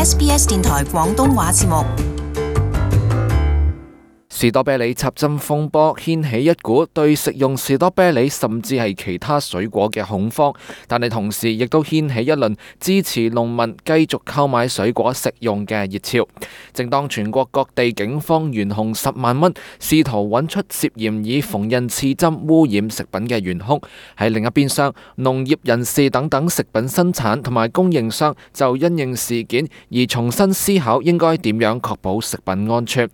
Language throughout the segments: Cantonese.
SBS 電台廣東話節目。士多啤梨插針風波掀起一股對食用士多啤梨甚至係其他水果嘅恐慌，但係同時亦都掀起一輪支持農民繼續購買水果食用嘅熱潮。正當全國各地警方懸紅10萬蚊，試圖揾出涉嫌以縫紉刺針污染食品嘅元兇，喺另一邊廂，農業人士等等食品生產同埋供應商就因應事件而重新思考應該點樣確保食品安全。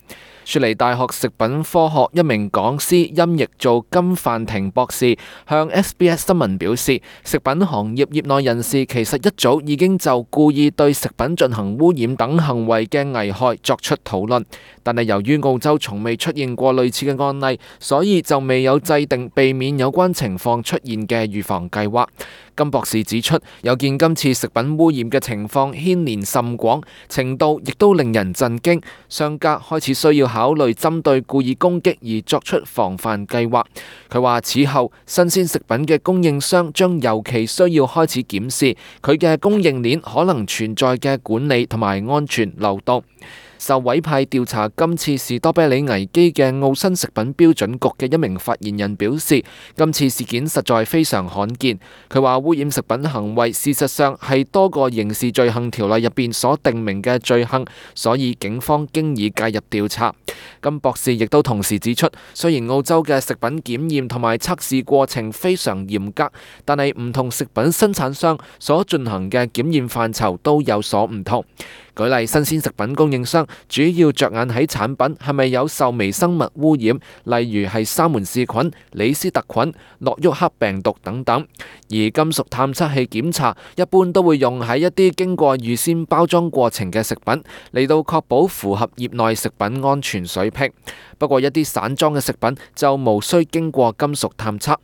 雪梨大學食品科學一名講師音譯做金範廷博士向 SBS 新聞表示，食品行業業內人士其實一早已經就故意對食品進行污染等行為嘅危害作出討論，但係由於澳洲從未出現過類似嘅案例，所以就未有制定避免有關情況出現嘅預防計劃。金博士指出，有見今次食品污染嘅情況牽連甚廣，程度亦都令人震驚，商家開始需要考慮針對故意攻擊而作出防範計劃。佢話此後新鮮食品嘅供應商將尤其需要開始檢視佢嘅供應鏈可能存在嘅管理同埋安全漏洞。受委派調查今次士多啤梨危機嘅澳新食品標準局嘅一名發言人表示，今次事件實在非常罕見。佢話污染食品行為事實上係多個刑事罪行條例入邊所定明嘅罪行，所以警方經已介入調查。金博士亦都同時指出，雖然澳洲嘅食品檢驗同埋測試過程非常嚴格，但係唔同食品生產商所進行嘅檢驗範疇都有所唔同。舉例，新鮮食品供應商主要着眼喺產品係咪有受微生物污染，例如係沙門氏菌、李斯特菌、諾沃克病毒等等。而金屬探測器檢查一般都會用喺一啲經過預先包裝過程嘅食品，嚟到確保符合業內食品安全水平。不過一啲散裝嘅食品就無需經過金屬探測。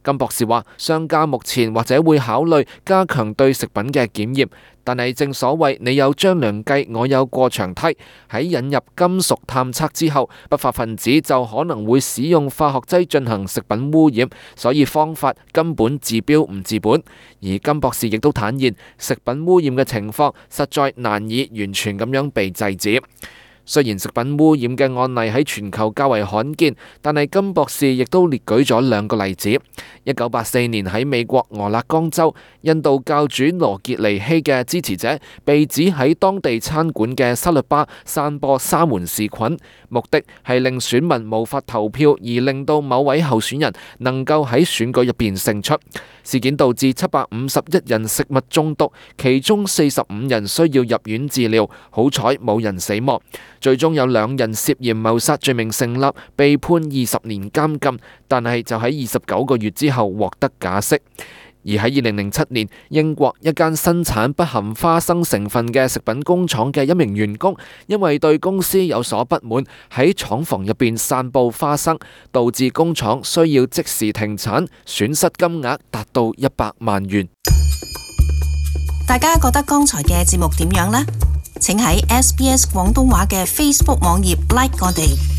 金博士話，商家目前或者會考慮加強對食品嘅檢驗，但係正所謂你有張良計，我有過牆梯。喺引入金屬探測之後，不法分子就可能會使用化學劑進行食品污染，所以方法根本治標唔治本。而金博士亦都坦言，食品污染嘅情況實在難以完全咁樣被制止。雖然食品污染嘅案例喺全球較為罕見，但係金博士亦都列舉咗2個例子。1984年喺美國俄勒岡州，印度教主羅傑尼希嘅支持者被指喺當地餐館嘅沙律吧散播沙門氏菌，目的係令選民無法投票，而令到某位候選人能夠喺選舉入邊勝出。事件導致751人食物中毒，其中45人需要入院治療，好彩冇人死亡。最終有2人涉嫌謀殺罪名成立，被判20年監禁，但係就喺29個月之後獲得假釋。而喺2007年，英國一間生產不含花生成分嘅食品工廠嘅一名員工，因為對公司有所不滿，喺廠房入邊散佈花生，導致工廠需要即時停產，損失金額達到100萬元。大家覺得剛才嘅節目點樣呢？請喺SBS 廣東話嘅 Facebook 網頁 like 我哋。